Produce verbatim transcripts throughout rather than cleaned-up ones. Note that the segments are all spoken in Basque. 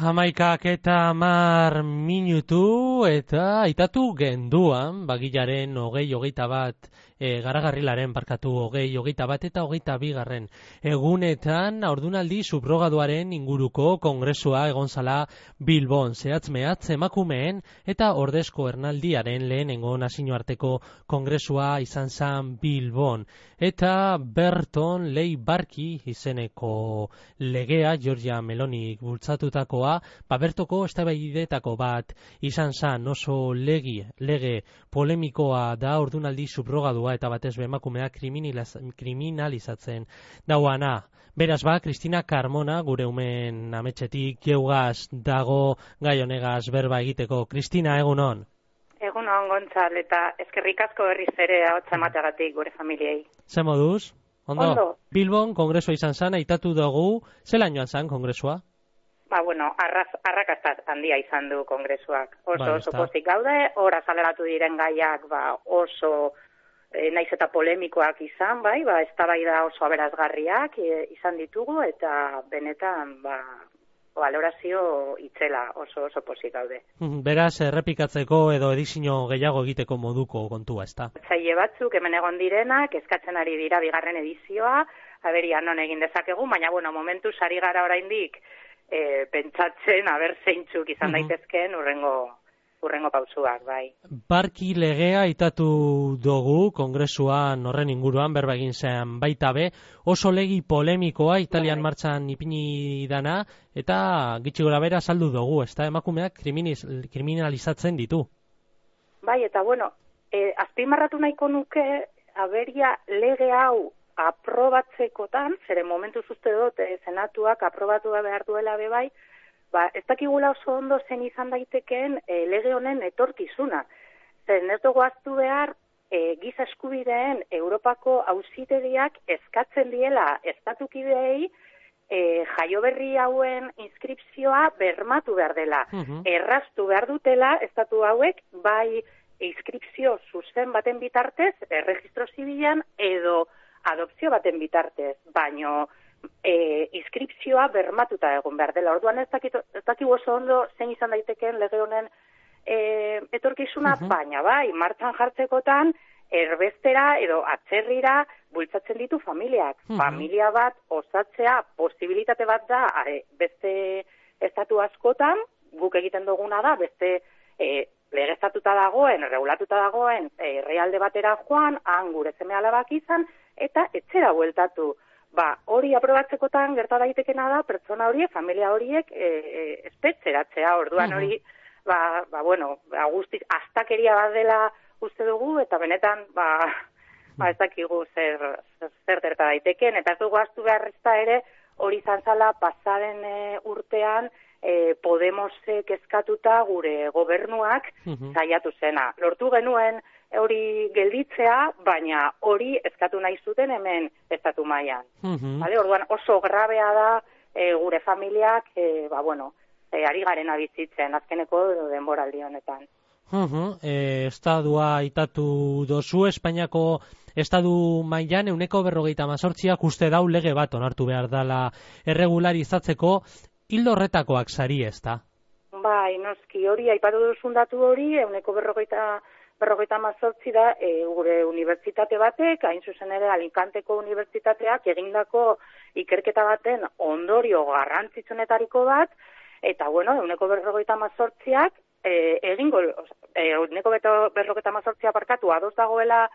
Hamaikak eta hamar minutu eta aitatu genduan, bagilaren hogei hogeita bat, e, garagarrilaren parkatu hogei hogeita bat eta hogeita bigarren egunetan ordunaldi subrogaduaren inguruko kongresua egon zala Bilbon, zehatz mehatz emakumeen eta ordezko ernaldiaren lehenengo nazioarteko kongresua izan zan Bilbon. Eta Berton Leibarki izeneko legea, Giorgia Melonik bultzatutakoa, ba Bertoko eztabaidetako bat izan zan, oso legi, lege polemikoa da ordunaldi subrogadua eta batez be emakumea kriminalizatzen dauana. Beraz ba, Cristina Carmona, gure umen ametxetik geugaz dago gai honegaz berba egiteko. Cristina, egunon? Egunon, Gontzal, eta eskerrik asko berriz ere ahotsa emateagatik gure familiei. Ze moduz? Ondo? Ondo. Bilbon kongresua izan zan, aitatu dugu, zela joan zan kongresua? Ba, bueno, arraz, arrakastat handia izan du kongresuak. Oso, Ba, oso pozik gaude, hor azaleratu diren gaiak, ba, oso e, naiz eta polemikoak izan, bai, ba, eztabaida oso aberazgarriak e, izan ditugu, eta benetan, ba, valorazio itzela, oso, oso pozik gaude. Beraz, errepikatzeko edo edizio gehiago egiteko moduko kontua, ezta? Zaile batzuk hemen egon direnak, eskatzen ari dira bigarren edizioa, aberia non egin dezakegu, baina, bueno, momentu sari gara oraindik, E, pentsatzen, aber zeintzuk izan uh-huh. daitezkeen urrengo, urrengo pausuak, bai. Barki legea aitatu dugu kongresuan horren inguruan, berba egin zen baita be, oso legi polemikoa Italian bai. Martxan ipini dana, eta gitxi gora bera saldu dugu, ez da, emakumeak kriminalizatzen ditu. Bai, eta bueno, e, azpimarratu nahiko nuke, aberia lege hau aprobatzekotan, zere momentu uste dut, e, senatuak aprobatu behar duela bebai, ba, ez dakigula oso ondo zen izan daitekeen e, lege honen etorkizuna. Zen ez dugu aztu behar, e, giza eskubideen Europako auzitegiak eskatzen diela estatukideei e, jaioberri hauen inskripzioa bermatu behar dela. Uh-huh. Erraztu behar dutela estatu hauek, bai inskripzio zuzen baten bitartez, erregistro zibilan, edo adopzio baten bitartez, baino e, inskripzioa bermatuta egon behar dela. Orduan ez dakigu oso ondo zein izan daitekeen lege honen e, etorkizuna, uh-huh. baina bai, martxan jartzekotan, erbestera edo atzerrira bultzatzen ditu familiak. Uh-huh. Familia bat osatzea posibilitate bat da e, beste estatu askotan, guk egiten duguna da, beste e, legeztatuta dagoen, regulatuta dagoen e, realde batera joan, han gure seme alabak izan, eta etxera bueltatu. Ba, hori aprobatzekotan gerta daitekena da, pertsona horiek, familia horiek e, e, espetzeratzea, orduan hori, uh-huh. ba, ba, bueno, ba, guztiz, astakeria bat dela uste dugu, eta benetan, ba, ba ez dakigu zer, zer gerta daiteken, eta ez dugu astu beharrezta ere, hori izan zala pasaren e, urtean, e, Podemosek eskatuta gure gobernuak uh-huh. saiatu zena. Lortu genuen, hori gelditzea, baina hori eskatu nahi zuten hemen estatu mailan. Uh-huh. Vale? Orduan oso grabea da e, gure familiak, e, ba bueno, e, ari garen abizitzen azkeneko denboraldi honetan. Uh-huh. E, estadua aitatu dozu, Espainiako estadu mailan euneko berrogeita hamazortziak uste dau lege bat onartu behar dela erregularizatzeko, hildo horretakoak sari, ezta? Bai, noski, hori aipatu duzun datu hori, euneko berrogeita berrogeita hamazortzi da e, gure unibertsitate batek, hain zuzen ere Alicanteko unibertsitateak egindako ikerketa baten ondorio garrantzitsunetariko bat, eta bueno, euneko berrogeita hamazortziak e, egingo, euneko berrogeita hamazortzia parkatu ados dagoela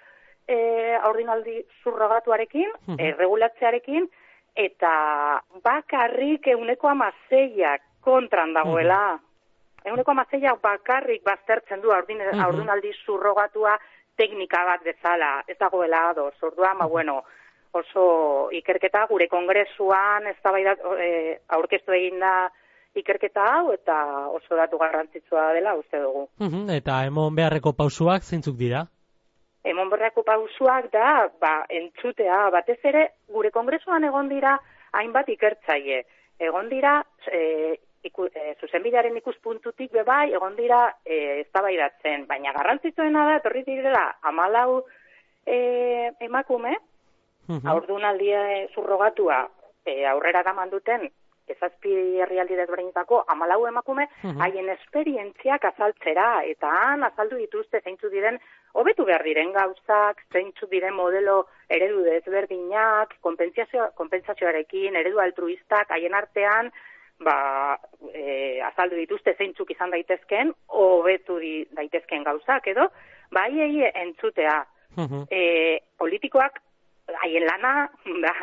e, aurdinaldi surrogatuarekin, uh-huh. e, regulatzearekin, eta bakarrik euneko hamaseiak kontran dagoela. Uh-huh. Eguneko amazeiak bakarrik baztertzen du aurdunaldi surrogatua teknika bat bezala, ez dagoela ados. Orduan, ba, bueno, oso ikerketa gure kongresuan eztabaida e, aurkeztu egin da ikerketa hau eta oso datu garrantzitsua dela uste dugu. Uh-huh. Eta emon beharreko pausuak zeintzuk dira? Emon beharreko pausuak da, ba, entzutea, batez ere gure kongresuan egon dira hainbat ikertzaile. Egon dira e, Iku, e, zuzenbidearen ikuspuntutik bebai, egon dira e, eztabaidatzen, baina garrantzitsuena da, etorri direla, hamalau e, emakume, uh-huh. aurdunaldia surrogatua e, aurrera eraman duten ezazpi herrialdi desberdinetako hamalau emakume haien esperientziak azaltzera, eta han azaldu dituzte zeintzu diren hobetu behar diren gauzak, zeintzu diren modelo eredu desberdinak, konpentsazio, konpentsazioarekin, eredu altruistak, haien artean, ba, e, azaldu dituzte zeintzuk izan daitezken, hobetu di, daitezken gauzak, edo, ba, haiei entzutea. Uh-huh. E, politikoak, haien lana, da,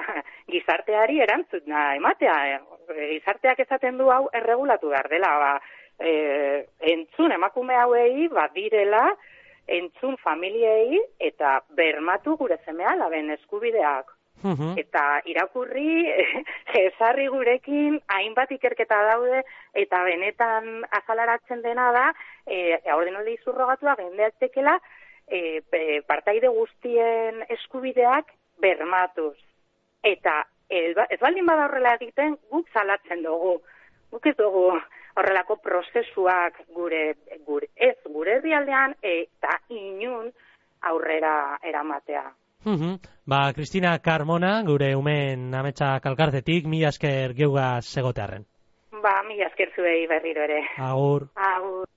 gizarteari erantzuna ematea, e, gizarteak esaten du hau erregulatu behar dela, ba, e, entzun emakume hauei, ba, direla, entzun familiei eta bermatu gure seme-alaben eskubideak. Uh-huh. Eta irakurri, ezarri gurekin, hainbat ikerketa daude, eta benetan azalaratzen dena da, e, ordenaldi zurrogatua gendeatekela, e, partaide guztien eskubideak bermatuz. Eta ez baldin bada horrela egiten, guk salatzen dugu. Guk ez dugu horrelako prozesuak gure, gure ez gure herrialdean eta inun aurrera eramatea. Uh-huh. Ba, Cristina Carmona, gure umen ametsa kalkartetik, mila esker geugaz egotearren. Ba, mila esker zuei berriro ere. Agur. Agur.